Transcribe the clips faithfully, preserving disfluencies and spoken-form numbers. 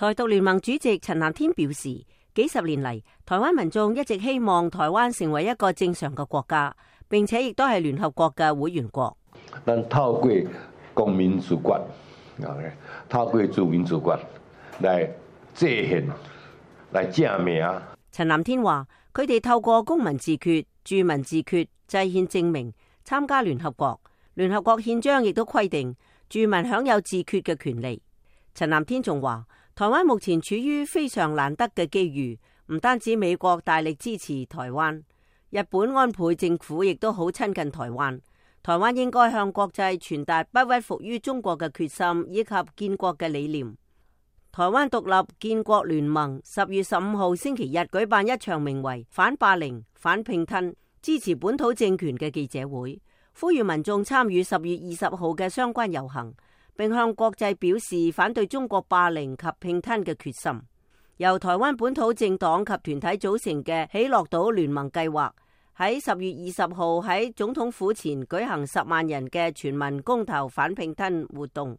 台獨聯盟主席陳南天表示，幾十年嚟，台灣民眾一直希望台灣成為一個正常嘅國家，並且亦都係聯合國嘅會員國。但透過公民主權，透過自民主權來制憲、來正名。陳南天話：佢哋透過公民自決、住民自決、制憲證明參加聯合國。聯合國憲章亦都規定住民享有自決嘅權利。陳南天仲話：台灣目前處於非常難得嘅機遇，唔單止美國大力支持台灣，日本安倍政府亦都好親近台灣。台灣應該向國際傳達不屈服於中國嘅決心以及建國嘅理念。台灣獨立建國聯盟十月十五號星期日舉辦一場名為反霸凌、反併吞、支持本土政權嘅記者會，呼籲民眾參與十月二十號嘅相關遊行，並向國際表示反對中國霸凌及併吞嘅決心。由台灣本土政黨及團體組成嘅喜樂島聯盟計劃喺十月二十號喺總統府前舉行十萬人嘅全民公投反併吞活動。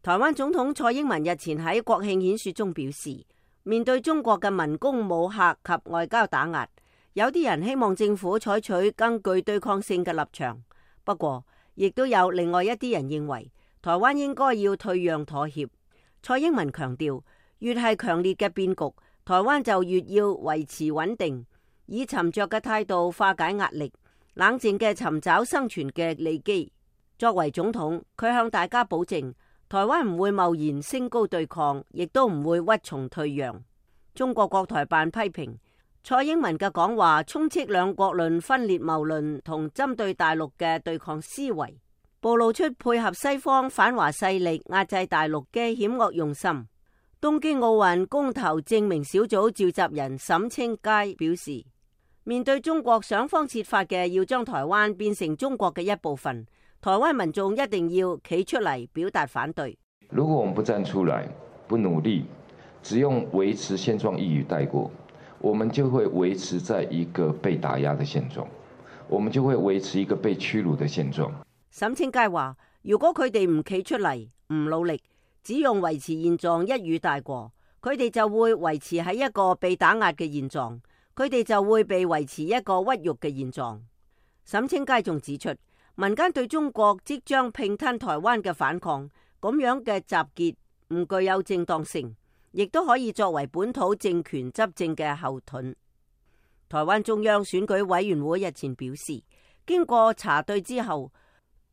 台灣總統蔡英文日前喺國慶演說中表示，面對中國嘅文攻武嚇及外交打壓，有啲人希望政府採取更具對抗性嘅立場。不過，亦都有另外一啲人認為，台灣應該要退讓妥協。蔡英文強調，越係強烈嘅變局，台灣就越要維持穩定，以沉着嘅態度化解壓力，冷靜嘅尋找生存嘅利基。作為總統，佢向大家保證，台灣唔會貿然升高對抗，亦都唔會屈從退讓。中國國台辦批評蔡英文嘅講話充斥兩國論、分裂謬論同針對大陸嘅對抗思維，暴露出配合西方反華勢力壓制大陸嘅險惡用心。東京奧運公投證明小組召集人沈清佳表示，面對中國想方設法嘅要將台灣變成中國嘅一部分，台灣民眾一定要企出嚟表達反對。如果我們不站出來，不努力，只用維持現狀一語帶過，我們就會維持在一個被打壓的現狀，我們就會維持一個被屈辱的現狀。沈清佳話：如果佢哋唔企出嚟，唔努力，只用維持現狀一語帶過，佢哋就會維持喺一個被打壓嘅現狀，佢哋就會被維持一個屈辱嘅現狀。沈清佳仲指出，民間對中國即將併吞台灣嘅反抗，咁樣嘅集結唔具有正當性，亦都可以作為本土政權執政嘅後盾。台灣中央選舉委員會日前表示，經過查對之後，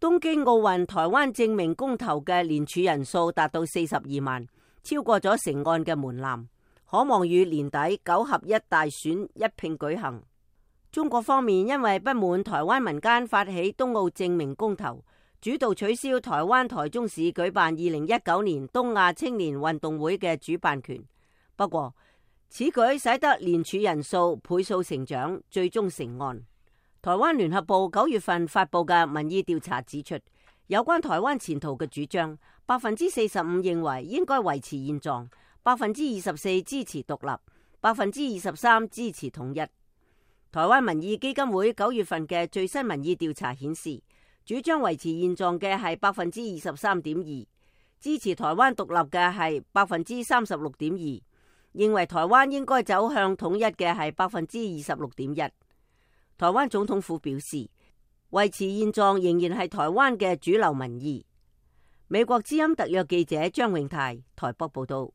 東京奧運台灣證明公投嘅聯署人數達到四十二萬，超過咗成案嘅門檻，可望於年底九合一大選一併舉行。中國方面因為不滿台灣民間發起東奧證明公投，主導取消台灣台中市舉辦二零一九年東亞青年運動會嘅主辦權。不過，此舉使得聯署人數倍數成長，最終成案。台灣聯合報九月份發布嘅民意調查指出，有關台灣前途嘅主張，百分之四十五認為應該維持現狀，百分之二十四支持獨立，百分之二十三支持統一。台灣民意基金會九月份嘅最新民意調查顯示，主張維持現狀嘅係百分之二十三點二，支持台灣獨立嘅係百分之三十六點二，認為台灣應該走向統一嘅係百分之二十六點一。台灣總統府表示，維持現狀仍然係台灣嘅主流民意。美國之音特約記者張永泰台北報道。